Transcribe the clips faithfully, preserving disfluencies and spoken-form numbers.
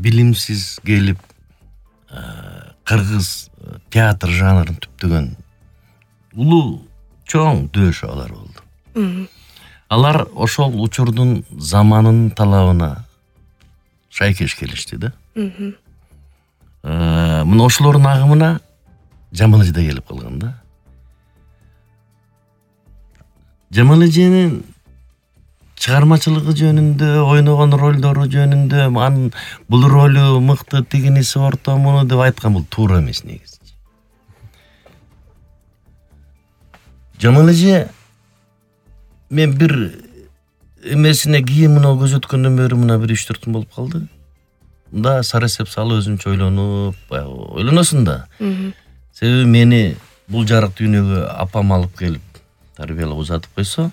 билимсиз келип кыргыз театр жанрын түптөгөн улуу чоң дөшөөлөр болду. Алар ошол учурдун заманынын талабына шайкеш келишти да. Мына ошолордун агымына Жамал эже да келип калган да. Жамал эженин чыгармачылыгы жөнүндө, ойногон ролдору жөнүндө, анын бул ролу мыкты, тигиниси ортомуну деп айткан бул туура эмес негизи. Жамал эже мен бир эмесине кийимине көзөткөндөн бери мына бир үч төрт күн болуп калды. Мында сарасеп салып өзүнчө ойлонуп, ойлоносуң да. Себеби мени бул жарык дүйнөгө апам алып келип тарбиялап узатып койсо,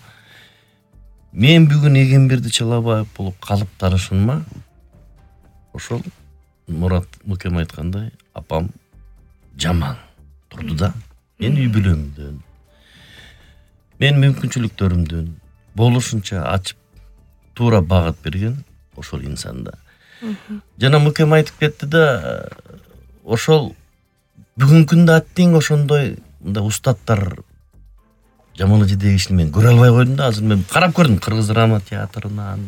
мен бүгүн Эгемберди Чалабаев болуп калып таанышымма ошол Мурат Мукем айткандай, апам Жамал турду да. Мен үй бүлөмдөн, мен мүмкүнчүлүктөрүмдөн болушунча ачып туура багыт берген ошол инсанда. Жана Мукем айтып кетти да, ошол бүгүнкүндө аттиң ошондой мындай устаттар Жамал эжедеги кишини мен көрө албай койдум да. Азыр мен карап көрдүм Кыргыз драма театрынан,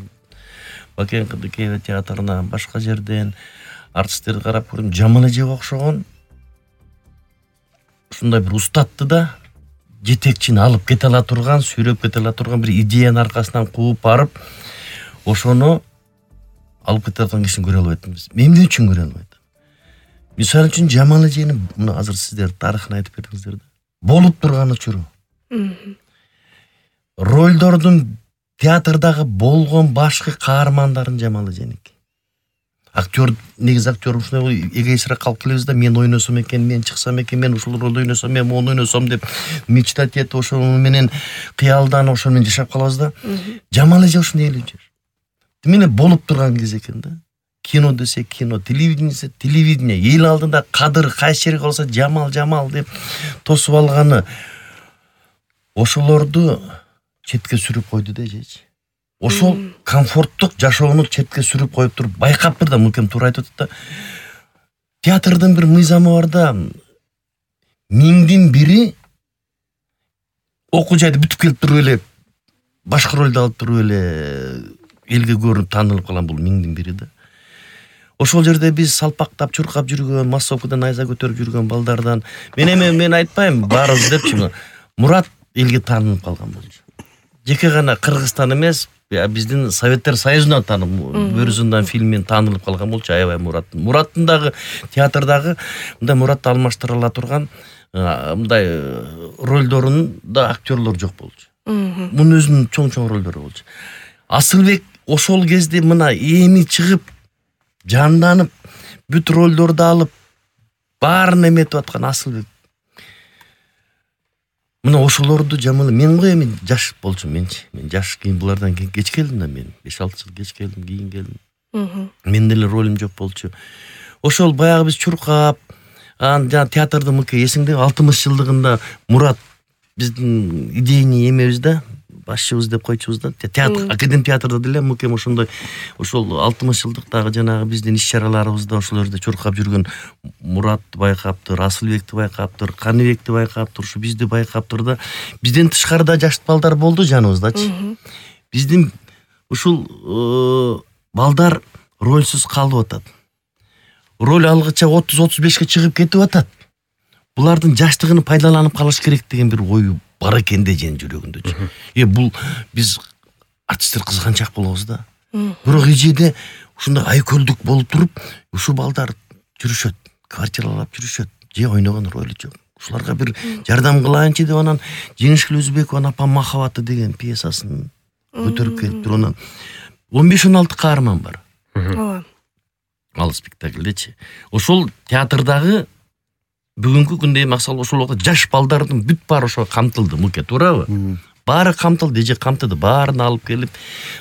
Бакен Кыдыкеева театрынан, башка жерден артисттерди карап көрдүм. Жамал эжеге окшогон ушундай бир устатты да, жетекчини алып кете ала турган, сүйрөп кете ала турган бир идеянын аркасынан кууп барып, ошону алып кете алган кишини көрө албайтпыз. Мен эмне үчүн көрө албайт? Мисалы үчүн Жамал эжени мына азыр сиздер тарыхын айтып бердиңиздер да. Болуп турган учуру. Ролдордун театрдагы болгон башкы каармандарын Жамал эженики. Актер, негизи актер ушундай эгоистирээк калып келебиз да, мен ойносом экен, мен чыксам экен, мен ушул ролду ойносом, мен мону ойносом деп мечтать этип ошол менен кыялданып ошол менен жашап калабыз да. Жамал эже ушундай эле жүр. Демек болуп турган кез экен да. Кино десе кино, телевидение десе телевидение, эл алдында кадыр кайсы жерге болсо Жамал Жамал деп тосуп алганы ошолорду четке сүрүп койду да эжечи. Ошол комфорттук жашоону четке сүрүп коюп туруп байкаптыр да. Мукем туура айтып атат да. Театрдын бир мыйзамы бар да. Миңдин бири окуу жайды бүтүп келип туруп эле башка ролду алып туруп эле элге көрүнүп таанылып калган бул миңдин бири да. Ошол жерде биз салпактап, чуркап жүргөн, массовкадан найза көтөрүп жүргөн балдардан мен эми мен айтпайм баарыбыз депчи. Мурат элге таанылып калган болчу. Жеке гана Кыргызстан эмес, биздин Советтер Союзунан таанып, Бөрүзүндан фильминен таанылып калган болчу. Аябай Мурат. Мураттын дагы театрдагы мындай Муратты алмаштыра ала турган мындай ролдорунун да актерлор жок болчу. Мунун өзүнүн чоң-чоң ролдору болчу. Асылбек ошол кезде мына эми чыгып, жанданып, бүт ролдорду алып, баарын эметип аткан Асылбек. Мына ошолорду Жамал, мен го эми жаш болчумун менчи. Мен жаш кийин булардан кеч келдим да, мен беш алты жыл кеч келдим, кийин келдим. Мен деле ролум жок болчу. Ошол баягы биз чуркап, анан жана театрдын мыке эсиңде алтымыш жылдыгында Мурат биздин идейный эмебиз да, башчыбыз деп койчубуз да. Театр, академ театрда деле Мукем ошондой ошол алтымыш жылдыктагы жанагы биздин иш-чараларыбызда ошол жерде чуркап жүргөн Муратты байкаптыр, Асылбекти байкаптыр, Каныбекти байкаптыр, ушу бизди байкаптыр да. Бизден тышкарыда жаш балдар болду жаныбыздачы. Биздин ушул балдар рольсүз калып атат. Роль алгыча отуз отуз бешке чыгып кетип атат. Булардын жаштыгын пайдаланып калыш керек деген бир ою бар экен да эженин жүрөгүндө. Э бул биз артисттер кызганчак болобуз да. Бирок эжеде ушундай айкөлдүк болуп туруп, ушул балдар жүрүшөт, квартиралап жүрүшөт, же ойногон ролу жок. Ушуларга бир жардам кылайынчы деп анан Жеңишгүл Өзбекованын Апам махабаты деген пьесасын көтөрүп келиптир. Онан он беш он алты каарман бар. Ооба. Ал спектаклдечи. Ошол театрдагы бүгүнкү күндө максал ошол жаш балдардын бүт баары ошо камтылды. Муке туурабы? Баары камтылды, эже камтыды, баарын алып келип,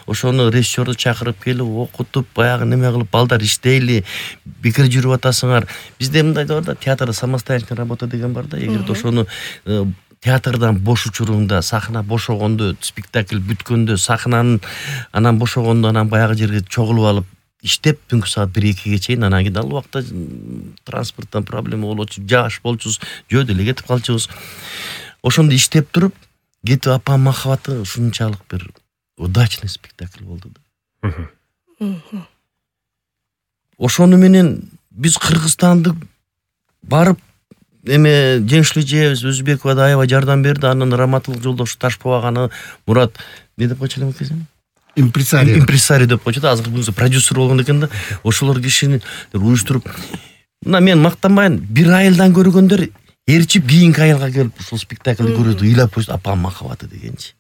ошону режиссерду чакырып келип, окутуп, баягы неме кылып, балдар иштейли, бекер жүрүп атасыңар. Бизде мындай бар да, театрда самостоятельная работа деген бар да. Эгерде ошону театрдан бош учуруңда, сахна бошогондо, спектакль бүткөндө, сахнанын анан бошогондо, анан баягы жерге чогулуп алып, иштеп түнкү саат бир экиге чейин, анан кийин ал убакта транспорттон проблема болчу, жаш болчубуз, жөө деле кетип калчубуз. Ошондо иштеп туруп, кетип апам махабаты ушунчалык бир удачный спектакль болду да. Ошону менен биз Кыргызстанды барып, эме Жеңишлүү жебиз, Өзбекова да аябай жардам берди. Анан Раматылык Жолдош Ташпоо аганы, Мурат не деп койчу элем экен? Импресарио. Импресарио деп койчу да. Азыр бул продюсер болгон экен да. Ошолор кишини уюштуруп, мына мен мактанбайын, бир айылдан көргөндөр эрчип кийинки айылга келип ушул спектакльди көрөдү, ыйлап койсу апам махабаты дегенчи.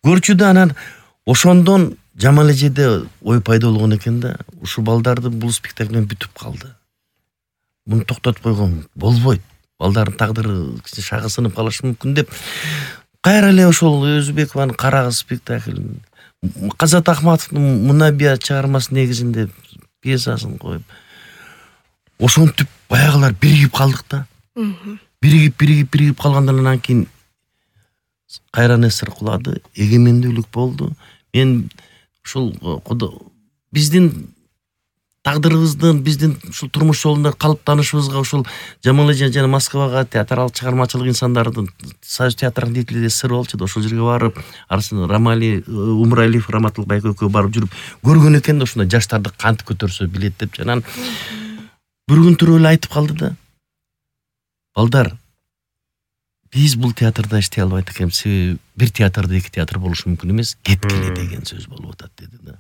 Көрчү да, анан ошондон Жамал эжеде ой пайда болгон экен да. Ушул балдарды бул спектакль менен бүтүп калды. Муну токтотуп койгон болбойт. Балдардын тагдыры шагы сынып калышы мүмкүн деп кайра эле ошол Өзбекованын Карагыз спектакль, Казат Ахматовдун Мунабия чыгармасы негизинде пьесасын коюп, ошентип баягылар биригип калдык да. Биригип, биригип, биригип калгандан кийин кайра эсир кулады, эгемендүүлүк болду. Мен ушул биздин тагдырыбыздын, биздин ушул турмуш жолунда калыптанышыбызга ушул Жамал эже жана Москвага театралык чыгармачылык инсандардын Союз театрынын деятели сыр болчу да. Ошол жерге барып, арасында Рамали, Умуралиев, Раматылык байке экөө барып жүрүп көргөн экен да, ушундай жаштарды кантип көтөрсө билет деп. Жанан бир күн туруп эле айтып калды да. Балдар, биз бул театрда иштей албайт экенбиз. Себеби бир театрда эки театр болушу мүмкүн эмес, кеткиле деген сөз болуп атат деди да.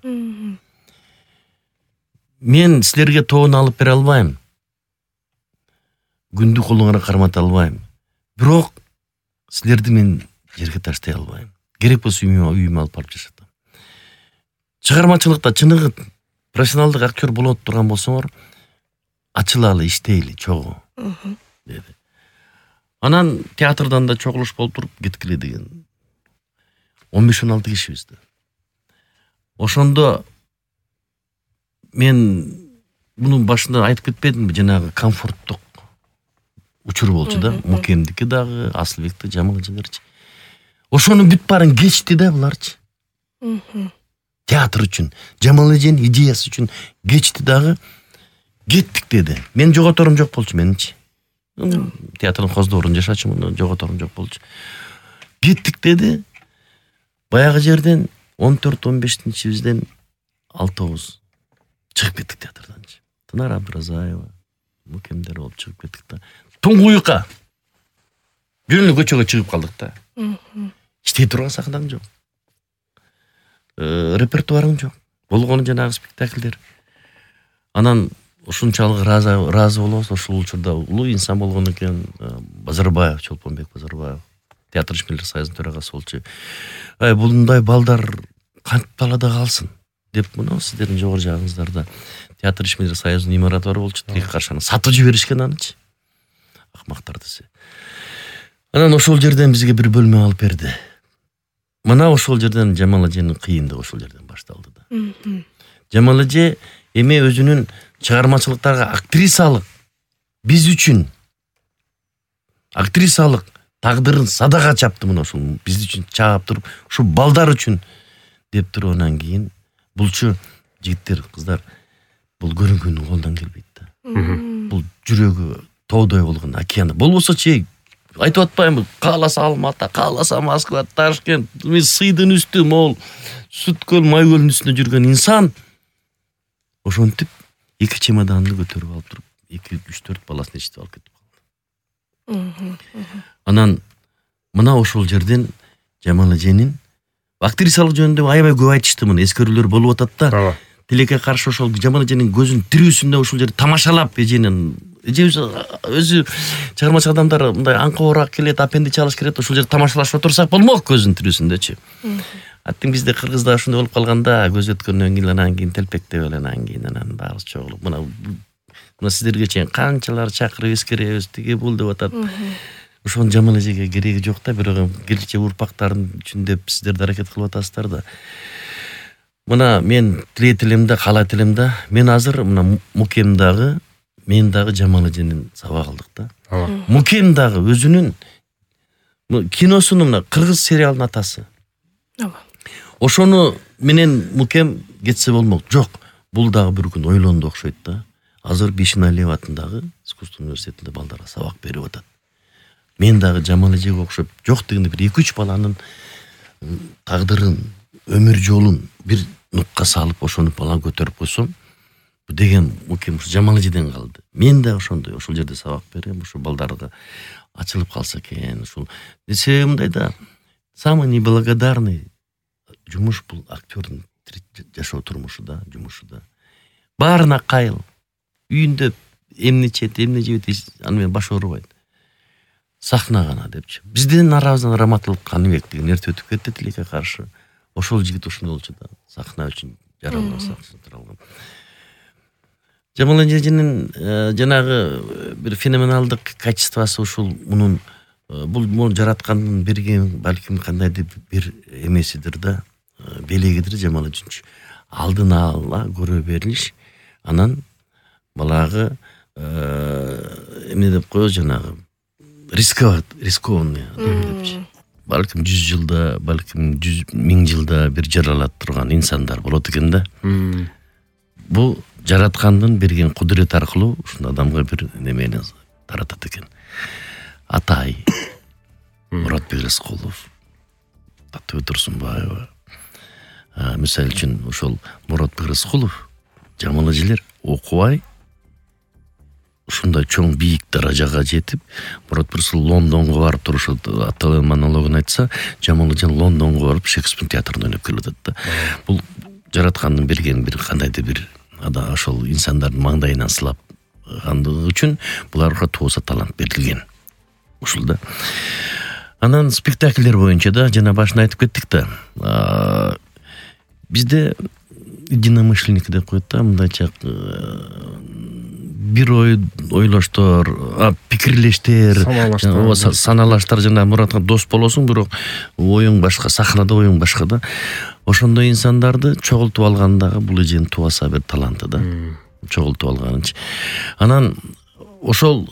Мен силерге тоон алып бере албайм. Күндү колуңара кармата албайм. Бирок силерди мен жерге таштай албайм. Керек болсо үйүмө үйүмө алып барып жашатам. Чыгармачылыкта чыныгы профессионалдык актер болот турган болсоңор, ачылалы, иштейли, чогуу деди. Анан театрдан да чогулуш болуп туруп кеткиле деген. он беш он алты кишибиз да. Ошондо мен мунун башында айтып кетпедимби, жанагы комфорттук учур болчу да. Мукемдики дагы, Асылбекти, Жамал эжелерчи. Ошонун бүт баарын кечти да буларчы. Театр үчүн, Жамал эженин идеясы үчүн кечти дагы. Кеттик деди. Мен жоготорум жок болчу менинчи. Театрдын коздорун жашачумун, жоготорум жок болчу. Кеттик деди. Баягы жерден он төрт он бешинчибизден алтыбыз чыгып кеттик театрдан. Тынар Абдыразаева, Мукемдер болуп чыгып кеттик да. Туңгуюкка. Жөн эле көчөгө чыгып калдык да. Иштей турган сахнаң жок. Репертуарың жок. Болгону жанагы спектакльдер. Анан ушунчалык разы разы болобуз. Ошол учурда улуу инсан болгон экен, Базарбаев, Чолпонбек Базарбаев, театр ишмерлер союзунун төрагасы болчу. Ай, булундай балдар кантип талада калсын деп, мына сиздердин жогору жагыңыздарда театр ишмерлер союзунун имараты бар болчу. Тиги каршаны сатып жиберишкен анычы. Акмактар десе. Анан ошол жерден бизге бир бөлмө алып берди. Мына ошол жерден Жамал эженин кыйындыгы ошол жерден башталды да. Жамал эже эми өзүнүн чыгармачылыктарга актрисалык, биз үчүн актрисалык тагдырын садага чапты. Мына ошол биз үчүн чаап туруп, ушу балдар үчүн деп туруп, анан кийин булчу жигиттер, кыздар, бул көрүнгөндүн колдон келбейт да. Бул жүрөгү тоодой болгон океан. Болбосо чей айтып атпаймынбы, кааласа Алматы, кааласа Москва, Ташкент, сыйдын үстү мол, Сүткөл, Майкөлдүн үстүндө жүргөн инсан ошентип эки чемоданды көтөрүп алып туруп, эки үч төрт баласын ичип алып кетип калды. Анан мына ошол жерден Жамал эженин актрисалык жөнүндө аябай көп айтышты, мына эскерүүлөр болуп атат да. Тилекке каршы ошол Жамал эженин көзүнүн тирүүсүндө ошол жерде тамашалап эженин эжебиз өзү чыгармачы адамдар мындай аңкоораак келет, апенди чалыш керек, ошол жерде тамашалашып отурсак болмок көзүнүн тирүүсүндөчү. Аттың бизде Кыргызда ошондой болуп калганда, көз өткөндөн кийин анан кийин телпектеп эле анан кийин анан баарыбыз чогулуп, мына мына сиздерге чейин канчалар чакырып эскеребиз, тиги бул деп атат. Ошонун Жамал эжеге кереги жок да, бирок келечек урпактардын үчүн деп сиздер аракет кылып атасыздар да. Мына мен тилейт элем да, каалайт элем да, мен азыр мына Мукем дагы, мен дагы Жамал эженин сабак алдык да. Мукем дагы өзүнүн киносунун мына кыргыз сериалынын атасы. Ошону менен мукем кетсе болмок. Жок, бул дагы бир күн ойлонду окшойт да. Азыр Бишиналиев атындагы искусство университетинде балдарга сабак берип атат. Мен дагы Жамал эжеге окшоп жок дегенде бир эки үч баланын тагдырын, өмүр жолун бир нукка салып ошону балан көтөрүп койсом, деген мукем Жамал эжеден калды. Мен да ошондой ошол жерде сабак берем, ошо балдарга ачылып калса экен. Ушул себеби мындай да, самый неблагодарный жумуш бул актёрдун жашоо турмушу да, жумушу да. Баарына кайыл. Үйүндө эмне чет, эмне жебейт, аны менен баш оорубайт. Сахна гана депчи. Биздин арабыздан Раматылык Каныбек деген эрте өтүп кетти тилекке каршы. Ошол жигит ушундай болчу да. Сахна үчүн жаралган сахна. Жамал эженин жанагы бир феноменалдык качествосы ушул мунун бул муну жараткандын берген балким кандайдыр бир эмесидир да, белегидир Жамал үчүнчү. Алдын ала көрө берилиш, анан балагы эмне деп коебуз жанагы рисковать, рискованный депчи. Балким жүз жылда, балким жүз миң жылда бир жаралат турган инсандар болот экен да. Бул жараткандын берген кудурет аркылуу ушул адамга бир немени таратат экен. Атай, Муратбек Рыскулов, Татыбек Турсунбаева. Мисалы үчүн ошол Муратбек Рыскулов, Жамал эжелер окубай ушундай чоң бийик даражага жетип, Муратбек Рыскулов Лондонго барып турушат, аталган монологун айтса, Жамал эжен Лондонго барып Шекспир театрында ойноп келип атат да. Бул жараткандын берген бир кандайдыр бир ада ошол инсандардын маңдайынан сылап гандыгы үчүн буларга тууса талант берилген. Ушул да. Анан спектакльдер боюнча да жана башында айтып кеттик да. Бизде единомышленник деп коет да, мындайча бир ой ойлоштор, пикирлештер, саналаштар, жана Муратка дос болосуң, бирок оюң башка, сахнада оюң башка да. Ошондой инсандарды чогултуп алгандагы бул эженин туаса бир таланты да. Чогултуп алганычы. Анан ошол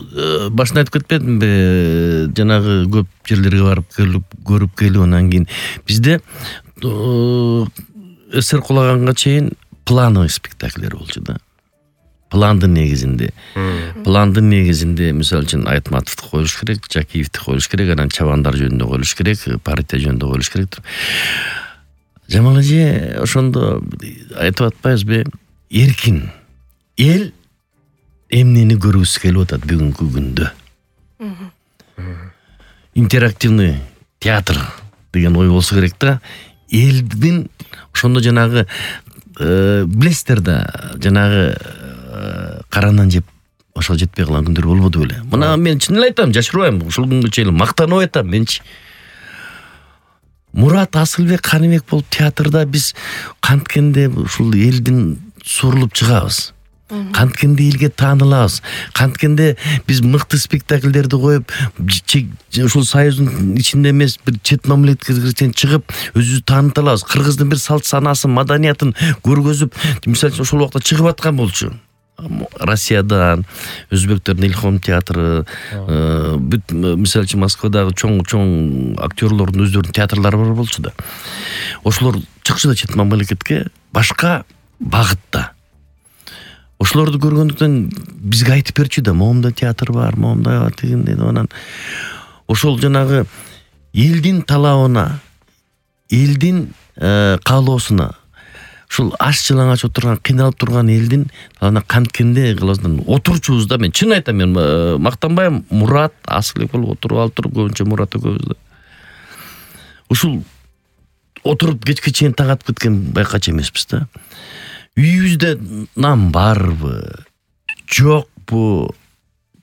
башында айтып кетпедимби, жанагы көп жерлерге барып келип, көрүп келип, анан кийин бизде эсер кулаганга чейин плановый спектакльдер болчу да. Пландын негизинде. Пландын негизинде, мисалы үчүн Айтматовду коюш керек, Жакиевди коюш керек, анан чабандар жөнүндө коюш керек, партия жөнүндө коюш керек. Жамал эже ошондо айтып атпайбызбы, эркин эл эмнени көргүсү келип атат бүгүнкү күндө. Интерактивный театр деген ой болсо керек да. Элдин ошондо жанагы билесиздер да, жанагы каранан жеп ошол жетпей калган күндөр болбоду беле. Мына мен чын эле айтам, жашырбайм, ушул күнгө чейин мактанып айтам менчи. Мурат Асылбек Каныбек болуп театрда биз канткенде ушул элдин сурулуп чыгабыз. Канткенде элге таанылабыз. Канткенде биз мыкты спектакльдерди коюп, ушул союздун ичинде эмес, бир чет мамлекетке чыгып, өзүбүздү тааныта алабыз. Кыргыздын бир салт санасын, маданиятын көргөзүп, мисалы үчүн ошол убакта чыгып аткан болчу. Россиядан, өзбектердин Илхом театры, бүт мисалы үчүн Москвадагы чоң-чоң актерлордун өздөрүнүн театрлары бар болчу да. Ошолор чыкчу да чет мамлекетке башка багытта. Ошолорду көргөндүктөн бизге айтып берчү да, моомда театр бар, моомда бар дегенде, анан ошол жанагы элдин талабына, элдин каалоосуна, ушул аш жылаңач отурган, кыйналып турган элдин талабына канткенде кылабыздан отурчубуз да. Мен чын айтам, мен мактанбайм, Мурат Асылбек болуп отуруп алып туруп, көбүнчө Мурат экөөбүз да. Ушул отуруп кечке чейин таң атып кеткен байкачы эмеспиз да. Үйүбүздө нам барбы, жокпу,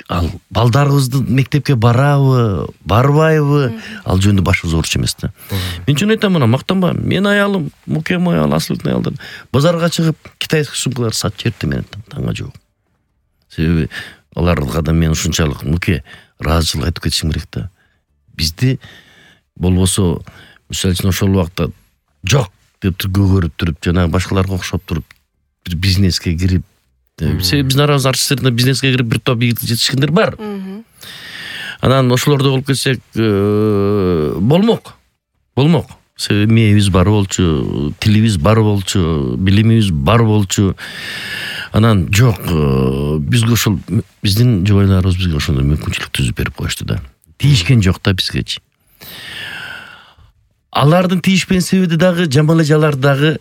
ал балдарыбызды мектепке барабы, барбайбы, ал жөнүндө башыбыз ооруч эмес да. Мен чын айтам, мына мактанбайм. Мен аялым, Мукем аял, Асылбектин аялдары базарга чыгып, китайский сумкалар сатып жиберди менен таңга жок. Себеби аларга да мен ушунчалык Муке ыраазычылык айтып кетишим керек да. Бизди болбосо, мисалы үчүн ошол убакта жок деп көгөрүп туруп, жана башкаларга окшоп туруп, бир бизнеске кирип, себеби биздин арабыз артисттерде бизнеске кирип бир топ ийгиликке жетишкендер бар. Анан ошолордо болуп кетсек болмок. Болмок. эмебиз бар болчу, тилибиз бар болчу, билимибиз бар болчу. Анан жок, бизге ошол биздин жубайларыбыз бизге ошондой мүмкүнчүлүк түзүп берип коюшту да. Тийишкен жок да бизгечи. Алардын тийишпен себеби дагы Жамал эжалар дагы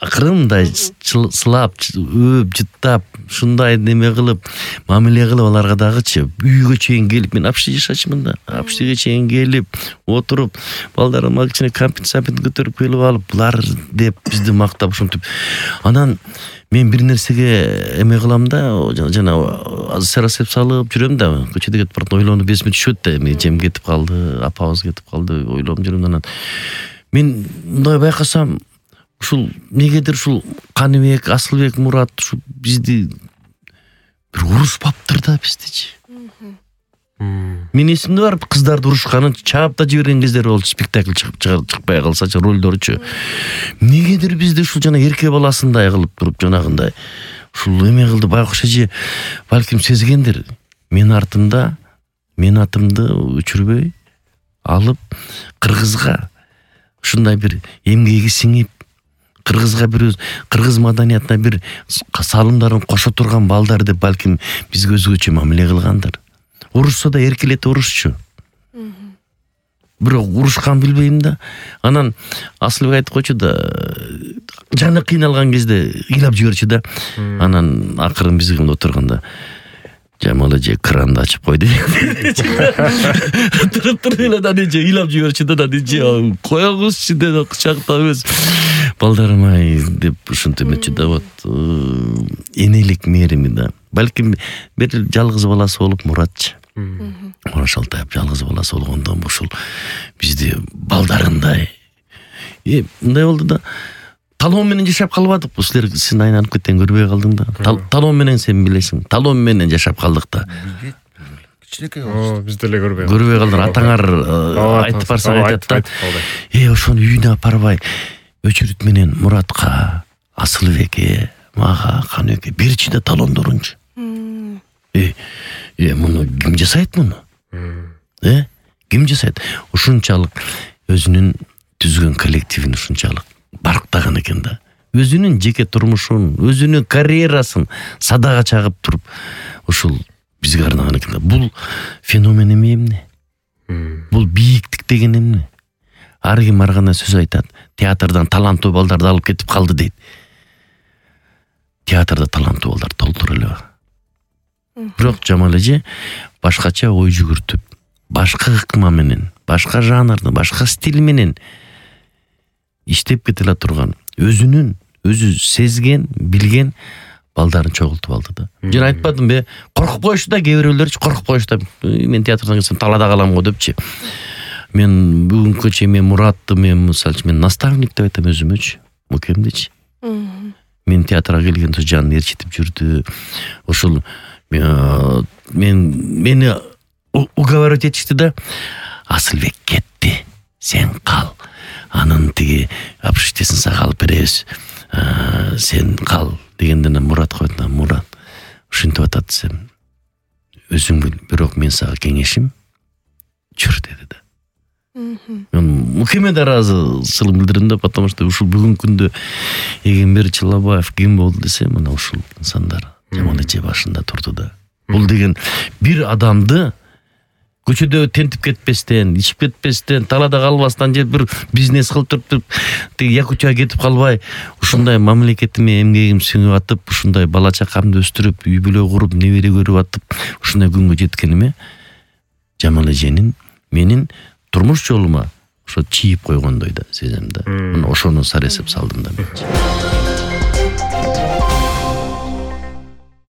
акырын мындай сылап, өөп, жыттап, ушундай неме кылып, мамиле кылып аларга дагычы үйгө чейин келип, мен апшты жашачымын да. Апштыга чейин келип, отуруп, балдарыма кичине компенсапент көтөрүп келип алып, булар деп бизди мактап ушинтип. Анан мен бир нерсеге эме кылам да, жана сарасеп салып жүрөм да, көчөдө кетип барып ойлонуп эсиме түшөт да, эми жем кетип калды, апабыз кетип калды, ойлонуп жүрөм. Анан мен мындай байкасам, ушул негедир ушул Каныбек, Асылбек, Мурат ушу бизди бир урушпаптыр да биздичи. Мен эсимде бар, кыздарды урушканын чаап да жиберген кездер болчу, спектакль чыгып чыкпай калсачы, ролдорчу. Негедир бизди ушул жана эрке баласындай кылып туруп, жанагындай ушул эме кылды, байкуш эже балким сезгендир. Мен артымда, мен атымды өчүрбөй алып кыргызга ушундай бир эмгеги сиңип, кыргызга бир кыргыз маданиятына бир салымдарын кошо турган балдар деп балким бизге өзгөчө мамиле кылгандыр. Урушса да эркелете урушчу. Бирок урушкан билбейм да. Анан Асылбек айтып койчу да, жаны кыйналган кезде ыйлап жиберчү да. Анан акырын бизге мында отурганда Жамал эже кранды ачып койду. Туруп-туруп эле да эже ыйлап жиберчү да, эже коёңузчу деп кучактап эмес. Балдарым ай деп ушинтип эметчү да, вот энелик мээрими да. Балким бир жалгыз баласы болуп Муратчы. Мурат Шалтаев жалгыз баласы болгондон ушул бизди балдарындай. Э, мындай болду да. Талон менен жашап калбадыкпы, силер сен айланып кеткен көрбөй калдың да. Талон менен сен билесиң. Талон менен жашап калдык да. Кичинекей болчу. Биз деле көрбөй калдык. Көрбөй калдыр. Атаңар айтып барсаң айтат да. Э, ошону үйүнө апарбай Өчүрүт менен Муратка, Асылбекке, мага, Каныбекке берчи да талондорунчу. Э, э, муну ким жасайт муну? Э, ким жасайт? Ушунчалык өзүнүн түзгөн коллективин ушунчалык барктаган экен да. Өзүнүн жеке турмушун, өзүнүн карьерасын садага чагып туруп, ушул бизге арнаган экен да. Бул феномен эмне? Бул бийиктик деген эмне? Ар ким ар кандай сөз айтат. Театрдан таланттуу балдарды алып кетип калды дейт. Театрда таланттуу балдар толтур эле бар. Бирок Жамал эже башкача ой жүгүртүп, башка ыкма менен, башка жанрда, башка стиль менен иштеп кетеле турган, өзүнүн, өзү сезген, билген балдарын чогултуп алды да. Жана айтпадым бе, коркуп коюшту да, кээ бирөөлөр коркуп коюшту. Мен театрдан келсем талада калам го депчи. Мен бүгүнкү чейин мен Муратты, мен мисалы мен наставник деп айтам өзүмөчү, мукемдичи. Мен театрга келгенде жанын ээрчитип жүрдү. Ошол мен мени уговаривать этишти да. Асылбек кетти, сен кал. Анын тиги апшиштесин сага алып беребиз. Сен кал дегенден Мурат койду да, Мурат ушинтип атат десем, өзүң бил, бирок мен сага кеңешим жүр деди да. Мен мукеме да ыраазычылык билдирдим да, потому что ушул бүгүнкү күндө Эгембер Чылабаев ким болду десе, мына ушул инсандар Жамал эже башында турду да. Бул деген бир адамды көчөдө тентип кетпестен, ичип кетпестен, талада калбастан же бир бизнес кылып туруп, тиги Якутияга кетип калбай, ушундай мамлекетиме эмгегим сиңип атып, ушундай бала чакамды өстүрүп, үй бүлө куруп, небере көрүп атып, ушундай күнгө жеткениме Жамал эженин менин турмуш жолума ошо чийип койгондой да сезем да. Ошону саресеп салдым да мен.